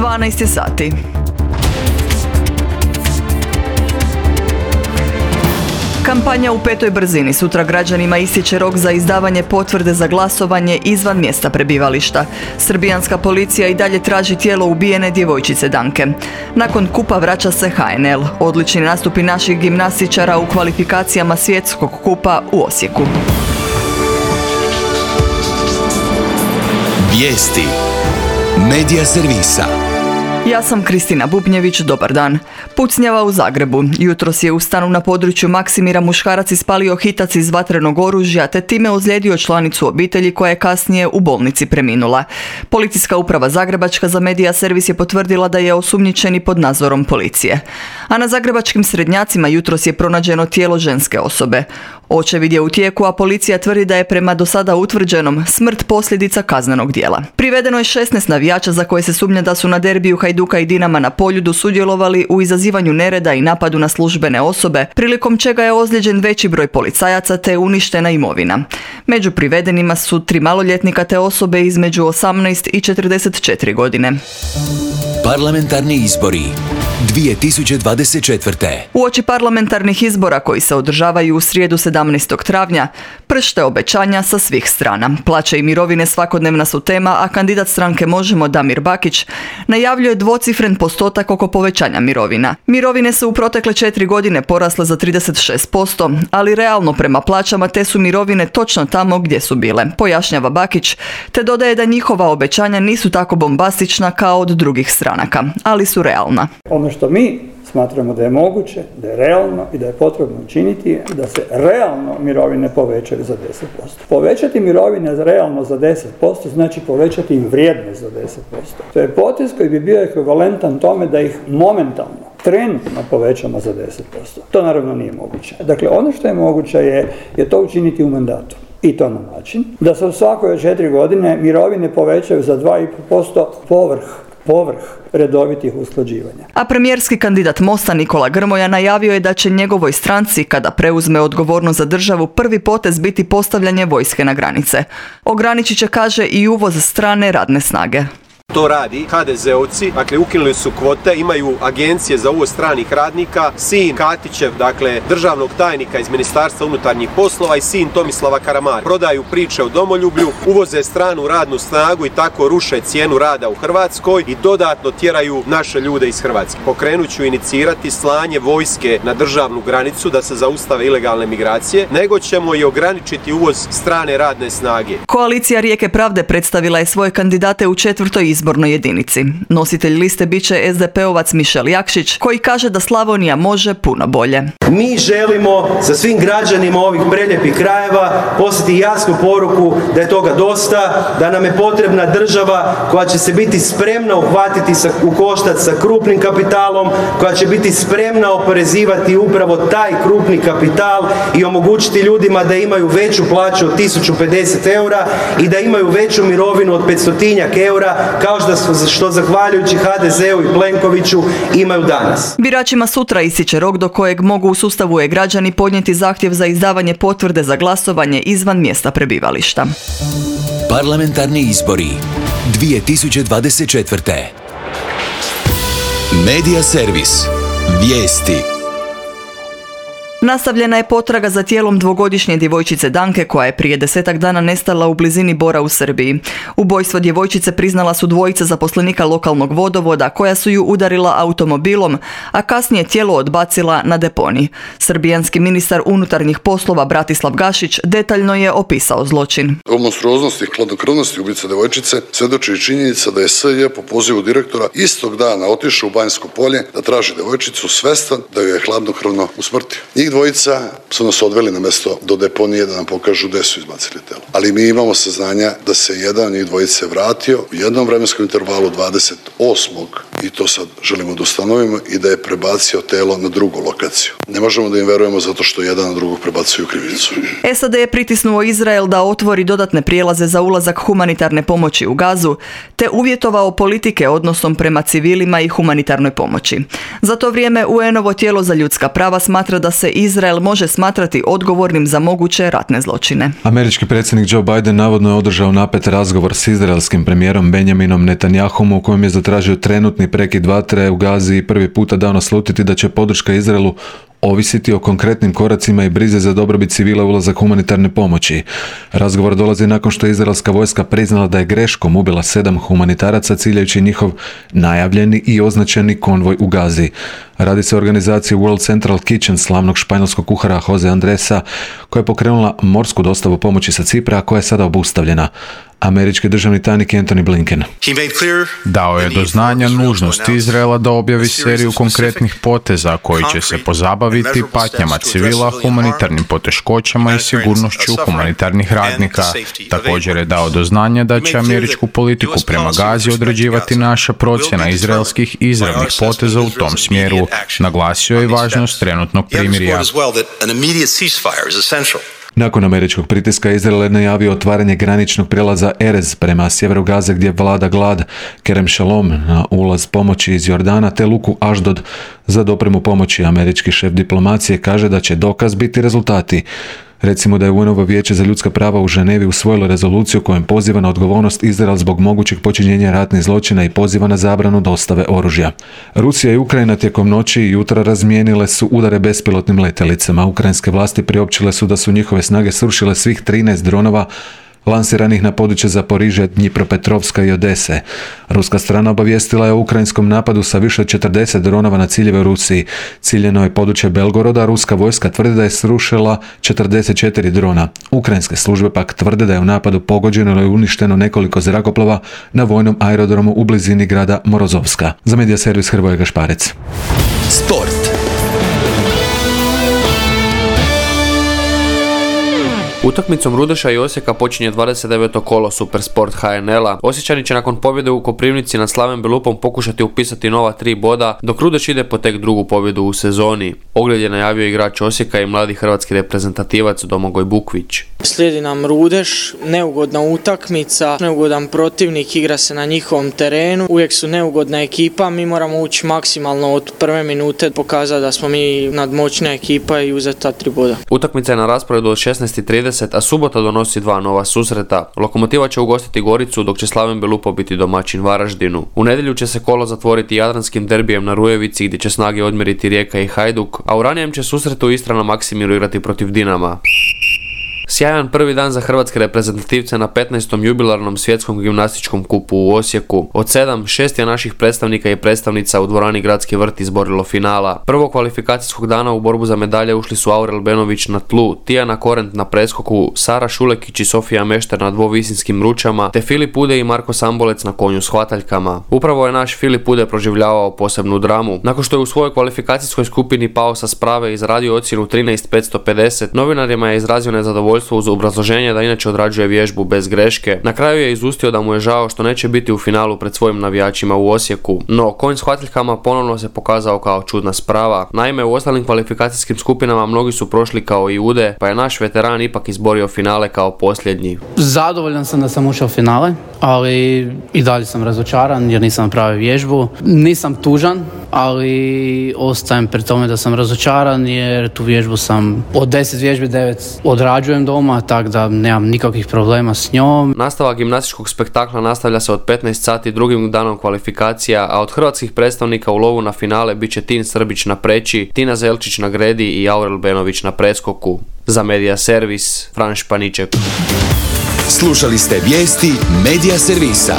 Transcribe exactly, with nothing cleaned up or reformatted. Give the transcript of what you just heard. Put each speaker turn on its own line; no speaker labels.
dvanaest je sati. Kampanja u petoj brzini. Sutra građanima ističe rok za izdavanje potvrde za glasovanje izvan mjesta prebivališta. Srbijanska policija i dalje traži tijelo ubijene djevojčice Danke. Nakon kupa vraća se ha en el. Odlični nastupi naših gimnastičara u kvalifikacijama svjetskog kupa u Osijeku.
Vijesti Medija servisa.
Ja sam Kristina Bubnjević, dobar dan. Pucnjava u Zagrebu. Jutros je u stanu na području Maksimira muškarac ispalio hitac iz vatrenog oružja te time ozlijedio članicu obitelji koja je kasnije u bolnici preminula. Policijska uprava Zagrebačka za Medija servis je potvrdila da je osumnjičeni pod nadzorom policije. A na zagrebačkim Srednjacima jutros je pronađeno tijelo ženske osobe. Očevid je u tijeku, a policija tvrdi da je prema do sada utvrđenom smrt posljedica kaznenog djela. Privedeno je šesnaest navijača za koje se sumnja da su na derbiju Hajduka i Dinama na Poljudu sudjelovali u izazivanju nereda i napadu na službene osobe, prilikom čega je ozlijeđen veći broj policajaca te uništena imovina. Među privedenima su tri maloljetnika te osobe između osamnaest i četrdeset četiri godine.
Parlamentarni izbori dvije tisuće dvadeset četvrte.
Uoči parlamentarnih izbora koji se održavaju u srijedu sedamnaestog travnja, pršte obećanja sa svih strana. Plaće i mirovine svakodnevna su tema, a kandidat stranke Možemo Damir Bakić najavljuje dvocifren postotak oko povećanja mirovina. Mirovine su u protekle četiri godine porasle za trideset šest posto, ali realno prema plaćama te su mirovine točno tamo gdje su bile, pojašnjava Bakić, te dodaje da njihova obećanja nisu tako bombastična kao od drugih stranaka, ali su realna.
Ono što mi smatramo da je moguće, da je realno i da je potrebno učiniti da se realno mirovine povećaju za deset posto. Povećati mirovine realno za deset posto znači povećati im vrijednost za deset posto. To je potez koji bi bio ekvivalentan tome da ih momentalno, trenutno povećamo za deset posto. To naravno nije moguće. Dakle, ono što je moguće je, je to učiniti u mandatu. I to na način da se u svakoj četiri godine mirovine povećaju za dva i pol posto povrh povrh redovitih usklađivanja.
A premijerski kandidat Mosta Nikola Grmoja najavio je da će njegovoj stranci, kada preuzme odgovornost za državu, prvi potez biti postavljanje vojske na granice. Ograničit će, kaže, i uvoz strane radne snage.
To radi ha de zeovci, dakle ukinuli su kvote, imaju agencije za uvoz stranih radnika, sin Katićev, dakle državnog tajnika iz Ministarstva unutarnjih poslova i sin Tomislava Karamarka. Prodaju priče o domoljublju, uvoze stranu radnu snagu i tako ruše cijenu rada u Hrvatskoj i dodatno tjeraju naše ljude iz Hrvatske. Pokrenut ću inicirati slanje vojske na državnu granicu da se zaustave ilegalne migracije, nego ćemo i ograničiti uvoz strane radne snage.
Koalicija Rijeke pravde predstavila je svoje kandidate u četvrtoj izbornoj jedinici. Nositelj liste bit će es de pe ovac Mišel Jakšić, koji kaže da Slavonija može puno bolje.
Mi želimo sa svim građanima ovih prelijepih krajeva poslati jasnu poruku da je toga dosta, da nam je potrebna država koja će se biti spremna uhvatiti sa, u koštac sa krupnim kapitalom, koja će biti spremna oporezivati upravo taj krupni kapital i omogućiti ljudima da imaju veću plaću od tisuću pedeset eura i da imaju veću mirovinu od petstotinjak eura, kao što, što zahvaljujući ha de zeu i Plenkoviću imaju danas.
Biračima sutra ističe rok do kojeg mogu u sustavu e-građani podnijeti zahtjev za izdavanje potvrde za glasovanje izvan mjesta prebivališta.
Parlamentarni izbori dvije tisuće dvadeset četvrte. Medija servis. Vijesti.
Nastavljena je potraga za tijelom dvogodišnje djevojčice Danke koja je prije desetak dana nestala u blizini Bora u Srbiji. Ubojstvo djevojčice priznala su dvojica zaposlenika lokalnog vodovoda koja su ju udarila automobilom, a kasnije tijelo odbacila na deponij. Srbijanski ministar unutarnjih poslova Bratislav Gašić detaljno je opisao zločin.
O monstruoznosti i hladnokrvnosti ubice djevojčice svjedoči i činjenica da je es je po pozivu direktora istog dana otišao u Banjsko polje da traži djevojčicu svestan da ju je hladnokrvno usmrtio. Njih dvojica su nas odveli na mjesto do deponije da nam pokažu gdje su izbacili telo. Ali mi imamo saznanja da se jedan od njih dvojice vratio u jednom vremenskom intervalu dvadeset osmog i to sad želimo da ustanovimo, i da je prebacio telo na drugu lokaciju. Ne možemo da im verujemo zato što jedan na drugog prebacuju krivicu.
S A D je pritisnuo Izrael da otvori dodatne prijelaze za ulazak humanitarne pomoći u Gazu, te uvjetovao politike odnosom prema civilima i humanitarnoj pomoći. Za to vrijeme U N-ovo tijelo za ljudska prava smatra da se Izrael može smatrati odgovornim za moguće ratne zločine.
Američki predsjednik Joe Biden navodno je održao napet razgovor s izraelskim premijerom Benjaminom Netanyahom u kojem je zatražio trenutni prekid vatre u Gazi i prvi puta dao naslutiti da će podrška Izraelu ovisiti o konkretnim koracima i brize za dobrobit civila ulazak humanitarne pomoći. Razgovor dolazi nakon što je izraelska vojska priznala da je greškom ubila sedam humanitaraca ciljajući njihov najavljeni i označeni konvoj u Gazi. Radi se o organizaciji World Central Kitchen slavnog španjolskog kuhara Jose Andresa, koja je pokrenula morsku dostavu pomoći sa Cipra, a koja je sada obustavljena. Američki državni tajnik Antony Blinken
dao je do znanja nužnost Izraela da objavi seriju konkretnih poteza koji će se pozabaviti patnjama civila, humanitarnim poteškoćama i sigurnošću humanitarnih radnika. Također je dao do znanja da će američku politiku prema Gazi određivati naša procjena izraelskih izravnih poteza u tom smjeru. Naglasio je i važnost trenutnog primirja.
Nakon američkog pritiska Izrael je najavio otvaranje graničnog prijelaza Erez prema sjeveru Gaze gdje vlada glad, Kerem Shalom na ulaz pomoći iz Jordana te luku Aždod za dopremu pomoći. Američki šef diplomacije kaže da će dokaz biti rezultati. Recimo da je U N-ovo vijeće za ljudska prava u Ženevi usvojilo rezoluciju kojom poziva na odgovornost Izrael zbog mogućeg počinjenja ratnih zločina i poziva na zabranu dostave oružja. Rusija i Ukrajina tijekom noći i jutra razmijenile su udare bespilotnim letjelicama. Ukrajinske vlasti priopćile su da su njihove snage srušile svih trinaest dronova lansiranih na područje Zaporižja, Dnjipropetrovska i Odese. Ruska strana obavijestila je o ukrajinskom napadu sa više od četrdeset dronova na ciljeve u Rusiji. Ciljeno je područje Belgoroda, ruska vojska tvrdi da je srušila četrdeset četiri drona. Ukrajinske službe pak tvrde da je u napadu pogođeno ili uništeno nekoliko zrakoplova na vojnom aerodromu u blizini grada Morozovska. Za Medija servis Hrvoje Gašparec.
Sport.
Utakmicom Rudeša i Osijeka počinje dvadeset deveto kolo Supersport H N L-a. Osječani će nakon pobjede u Koprivnici nad Slaven Belupom pokušati upisati nova tri boda, dok Rudeš ide po tek drugu pobjedu u sezoni. Ogled je najavio igrač Osijeka i mladi hrvatski reprezentativac Domagoj Bukvić.
Slijedi nam Rudeš, neugodna utakmica, neugodan protivnik, igra se na njihovom terenu, uvijek su neugodna ekipa, mi moramo ući maksimalno od prve minute, pokazati da smo mi nadmoćna ekipa i uzeti ta tri boda.
Utakmica je na rasporedu od šesnaest i trideset, a subota donosi dva nova susreta. Lokomotiva će ugostiti Goricu, dok će Slaven Belupo biti domaćin Varaždinu. U nedjelju će se kolo zatvoriti jadranskim derbijem na Rujevici, gdje će snage odmjeriti Rijeka i Hajduk, a u ranijem će susretu Istra na Maksimiru igrati protiv Dinama. Sjajan prvi dan za hrvatske reprezentativce na petnaestom jubilarnom svjetskom gimnastičkom kupu u Osijeku. Od sedam, šest je naših predstavnika i predstavnica u dvorani Gradski vrt izborilo finala. Prvo kvalifikacijskog dana u borbu za medalje ušli su Aurel Benović na tlu, Tijana Korent na preskoku, Sara Šulekić i Sofija Mešter na dvovisinskim ručama, te Filip Ude i Marko Sambolec na konju s hvataljkama. Upravo je naš Filip Ude proživljavao posebnu dramu. Nakon što je u svojoj kvalifikacijskoj skupini pao sa sprave i izradio ocjenu trinaest petsto pedeset, novinarima je izrazio nezadovoljstvo uz obrazloženje da inače odrađuje vježbu bez greške. Na kraju je izustio da mu je žao što neće biti u finalu pred svojim navijačima u Osijeku. No, konj s hvataljkama ponovno se pokazao kao čudna sprava. Naime, u ostalim kvalifikacijskim skupinama mnogi su prošli kao i Ude, pa je naš veteran ipak izborio finale kao posljednji.
Zadovoljan sam da sam ušao u finale, ali i dalje sam razočaran jer nisam napravio vježbu. Nisam tužan, ali ostajem pri tome da sam razočaran jer tu vježbu sam od deset vježbi devet odrađujem doma, tako da nemam nikakvih problema s njom.
Nastavak gimnastičkog spektakla nastavlja se od petnaest sati drugim danom kvalifikacija, a od hrvatskih predstavnika u lovu na finale bit će Tin Srbić na preći, Tina Zelčić na gredi i Aurel Benović na preskoku. Za Medija servis, Fran Španiček.
Slušali ste vijesti Medija servisa.